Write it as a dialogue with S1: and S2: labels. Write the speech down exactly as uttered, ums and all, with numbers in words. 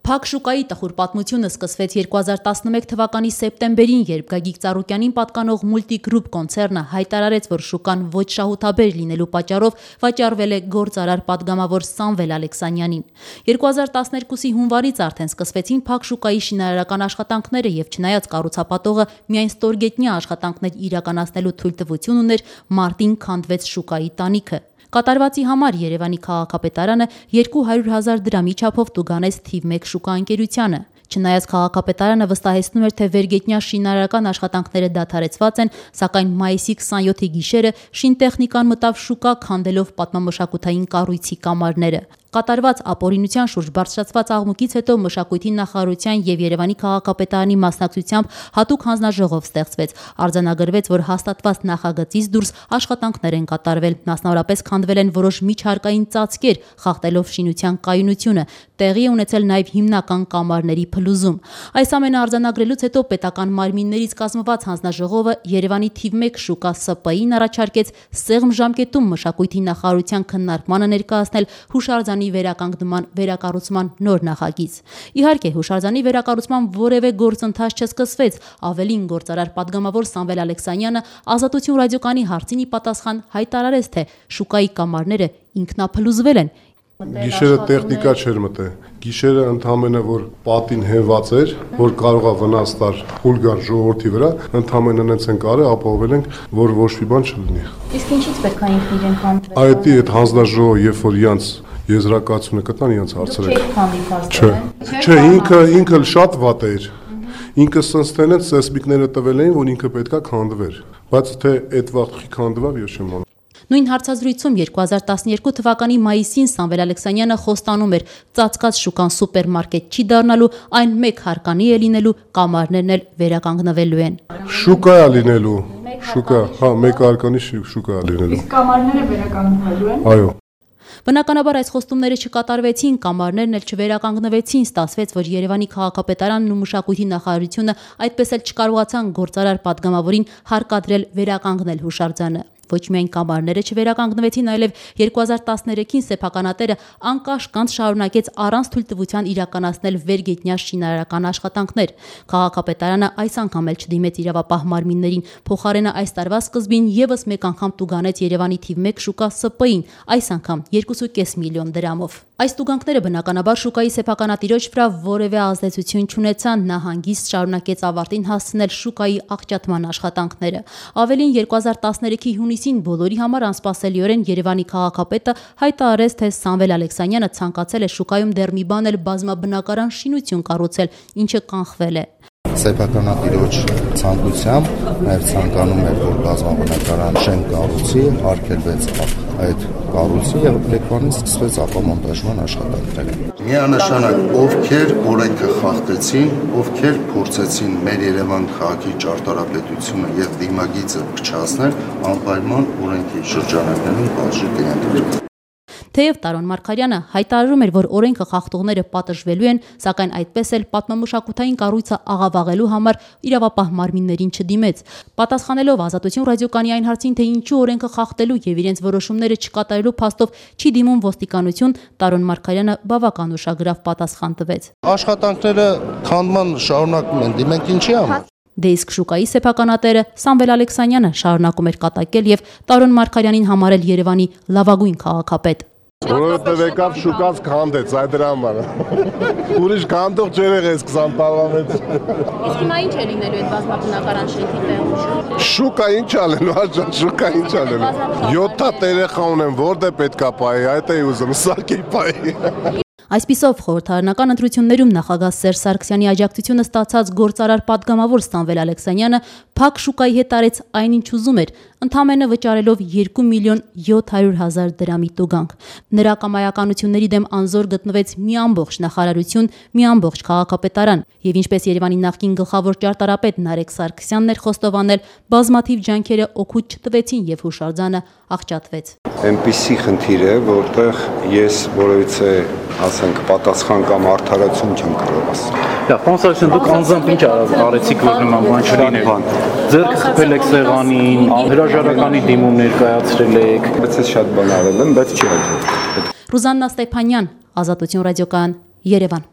S1: Փակ շուկայի տխուր պատմությունը սկսվեց երկու հազար տասնմեկ թվականի սեպտեմբերին, երբ Գագիկ Ծառուկյանին պատկանող Multicroup կոնցեռնը հայտարարեց, որ շուկան ոչ շահութաբեր լինելու պատճառով վաճառվել է գործարար պատգամավոր Սամվել Ալեքսանյանին։ երկու հազար տասներկուսի հունվարից արդեն սկսվեցին փակ շուկայի շինարարական աշխատանքները, եւ չնայած կառուցապատողը միայն ստորգետնյա աշխատանքներ իրականացնելու թույլտվություն ուներ, մարտին քանդվեց շուկայի տանիքը։ Կատարվածի համար Երևանի քաղաքապետարանը երկու հարյուր հազար դրամի չափով տուգանեց թիվ մեկ շուկաընկերությանը։ Չնայած քաղաքապետարանը վստահեցնում էր, թե վերգետնյա շինարարական աշխատանքները դադարեցված են, սակայն մայիսի քսանյոթի գիշերը շինտեխնիկան մտավ շուկա, քանդելով պատմամշակութային կառույցի կամարները։ Կատարված ապօրինության շուրջ բարձրացված աղմուկից հետո Մշակույթի նախարարության եւ Երևանի քաղաքապետարանի մասնակցությամբ հատուկ հանձնաժողով ստեղծվեց։ Արձանագրվեց, որ հաստատված նախագծից դուրս աշխատանքներ են կատարվել, մասնավորապես քանդվել են որոշ միջհարկային ծածկեր, խախտելով շինության կայունությունը, տեղի է ունեցել նաեւ հիմնական կամարների փլուզում։ Այս ամենը արձանագրելուց հետո պետական մարմիններից կազմված հանձնաժողովը Երևանի թիվ մեկ շուկա Սը Պը ին առաջարկեց սեղմ ժամկետում Մշակույթի նախարարության քննարկմանը ներկայացնել հուշարձանի վերականգնման վերակառուցման նոր նախագիծ։ Իհարկե, հուշարձանի վերակառուցման որևէ գործընթաց չսկսվեց, ավելին գործարար պատգամավոր Սամվել Ալեքսանյանը Ազատություն ռադիոկայանի հարցին ի պատասխան հայտարարեց, թե շուկայի կամարները ինքնափլուզվել են։
S2: Գիշերը տեխնիկա չէր մտել, գիշերը ընդամենը որ պատին հենված էր, որ կարող է վնաս տար փուլ գար ժողովրդի վրա, ընդամենը նենց են կարել, ապահովել ենք, որ ոչ մի բան չլինի։
S3: Իսկ ինչից պետք է ինքն իրեն քանդվեն։
S2: Այդ այդ հանձնաժողովը, երբ որ իրանց եզրակացությունը կտան, իրանց հարցրել։ Չէ, չէ, ինքը ինքը շատ վատ էր։ Ինքը սնստել են, սեսմիկները տվել էին, որ ինքը պետքա քանդվեր, բայց թե այդ վաղտի քանդվավ, ես չեմ անում։
S1: Նույն հարցազրույցում երկու հազար տասներկու թվականի մայիսին Սամվել Ալեքսանյանը խոստանում էր, ծածկած շուկան սուպերմարկետ չի դառնալու, այն մեկ հարկանի է լինելու, կամարներն էլ վերականգնվելու են։
S2: Շուկա է լինելու, շուկա, հա, մեկ հարկանի շուկա է լինելու։
S3: Իսկ կամարները վերականգնվելու են։
S2: Այո։
S1: Բնականաբար այս խոստումները չկատարվեցին, կամարներն էլ չվերականգնվեցին, ստացվեց, որ Երևանի քաղաքապետարանն ու Մշակույթի նախարարությունը այդպես էլ չկարողացան գործարար պատգամավորին հարկադրել վերականգնել հուշարձանը։ Ոչ միայն կամարները չվերականգնվեցին, այլև երկու հազար տասներեքին սեփականատերը անկաշկանդ շարունակեց առանց թույլտվության իրականացնել վերգետնյա շինարարական աշխատանքներ։ Քաղաքապետարանը այս անգամ էլ չդիմեց իրավապահ մարմիններին, փոխարենը այս տարվա սկզբին եւս մեկ անգամ տուգանեց Երևանի թիվ մեկ շուկա Սը Պը ին, այս անգամ երկու կόμμα պենս միլիոն դրամով։ Այս տուգանքները բնականաբար շուկայի սեփականատիրոջ վրա որևէ ազդեցություն չունեցան, նա հանգիստ շարունակեց ավարտին հասցնել շուկայի աղճատման աշխատանքները։ Ավելին երկու հազար տասներեքի հունիսին բոլորի համար անսպասելիորեն Երևանի քաղաքապետը հայտարարեց, թե Սամվել Ալեքսանյանը ցանկացել է շուկայում դեռ մի բան էլ բազմաբնակարան շինություն կառուցել, ինչը կանխվել է։
S4: Սեփականատիրոջ ցանկությամբ նաև ցանկանում էր, որ բազմաբնակարան շենք կառուցի, արգելվեց այդ կառույցը եւ Լեքվանից սկսվեց ապամոնտաժման աշխատանքները։ Միանշանակ ովքեր օրենքը խախտեցին, ովքեր փորձեցին մեր Երևան քաղաքի ճարտարապետությունը եւ դիմագիծը փչացնել, անպայման օրենքի շրջանակներում բաժի կենտրոնի։
S1: Թեև Տարոն Մարգարյանը հայտարարում էր, որ օրենքը խախտողները պատժվելու են, սակայն այդպես էլ պատմամշակութային կառույցը աղավաղելու համար իրավապահ մարմիններին չդիմեց։ Պատասխանելով Ազատություն ռադիոկայանի այն հարցին, թե ինչու օրենքը խախտելու եւ իրենց որոշումները չկատարելու փաստով չի դիմում ոստիկանություն, Տարոն Մարգարյանը բավական ուշագրավ պատասխան տվեց։
S4: Աշխատանքները քանդման շարունակում են, դիմենք ինչի համար։
S1: Դե իսկ շուկայի սեփականատերը Սամվել Ալեքսանյանը շարունակում էր կատակել եւ Տարոն Մարգարյանին համարել Երևանի լավագույն քաղաքապետ։
S2: Որովհետև եկավ շուկաց քանդեց, այդ դրա համար։ Ուրիշ քանդող չէր եղել քսան տարվա մեջ։
S3: Իսկ հիմա ինչ է լինելու այդ բազմաբնակարան շենքի տեղում։
S2: Շուկա ինչ ալելու, աջան, շուկա ինչ ալելու։ յոթ հատ երեխա ունեմ, որտե պետքա պայի, այդ էի ուզում, սարքի պայի։
S1: Այսպիսով խորհրդարանական ընտրություններում նախագահ Սերժ Սարգսյանի աջակցությունը ստացած գործարար պատգամավոր Սամվել Ալեքսանյանը փակ շուկայի հետ արեց այնինչ ուզում էր, ընդամենը վճարելով երկու միլիոն յոթ հարյուր հազար դրամի տուգանք։ Նրա կամայականությունների դեմ անզոր գտնվեց մի ամբողջ նախարարություն, մի ամբողջ քաղաքապետարան, եւ ինչպես Երևանի նախկին գլխավոր ճարտարապետ Նարեկ Սարգսյանն էր խոստովանել, բազմաթիվ ջանքերը օգուտ չտվեցին եւ հուշարձանը աղճատվեց։
S5: Այնպիսի խնդիր է, որտեղ ես որևիցե ասենք պատասխան կամ արդարացում չեմ կարող ասել։
S6: Դա Ֆրանսիան դուք անձամբ ինչ արեցիք, որ նման բան չլիներ։ Ձերքը խփել եք սեղանին, հրաժարականի դիմում ներկայացրել եք։
S5: Բայց ես շատ բան արել եմ, բայց չի հաջողվել։
S1: Ռուզաննա Ստեփանյան, Ազատություն ռադիոկայան, Երևան։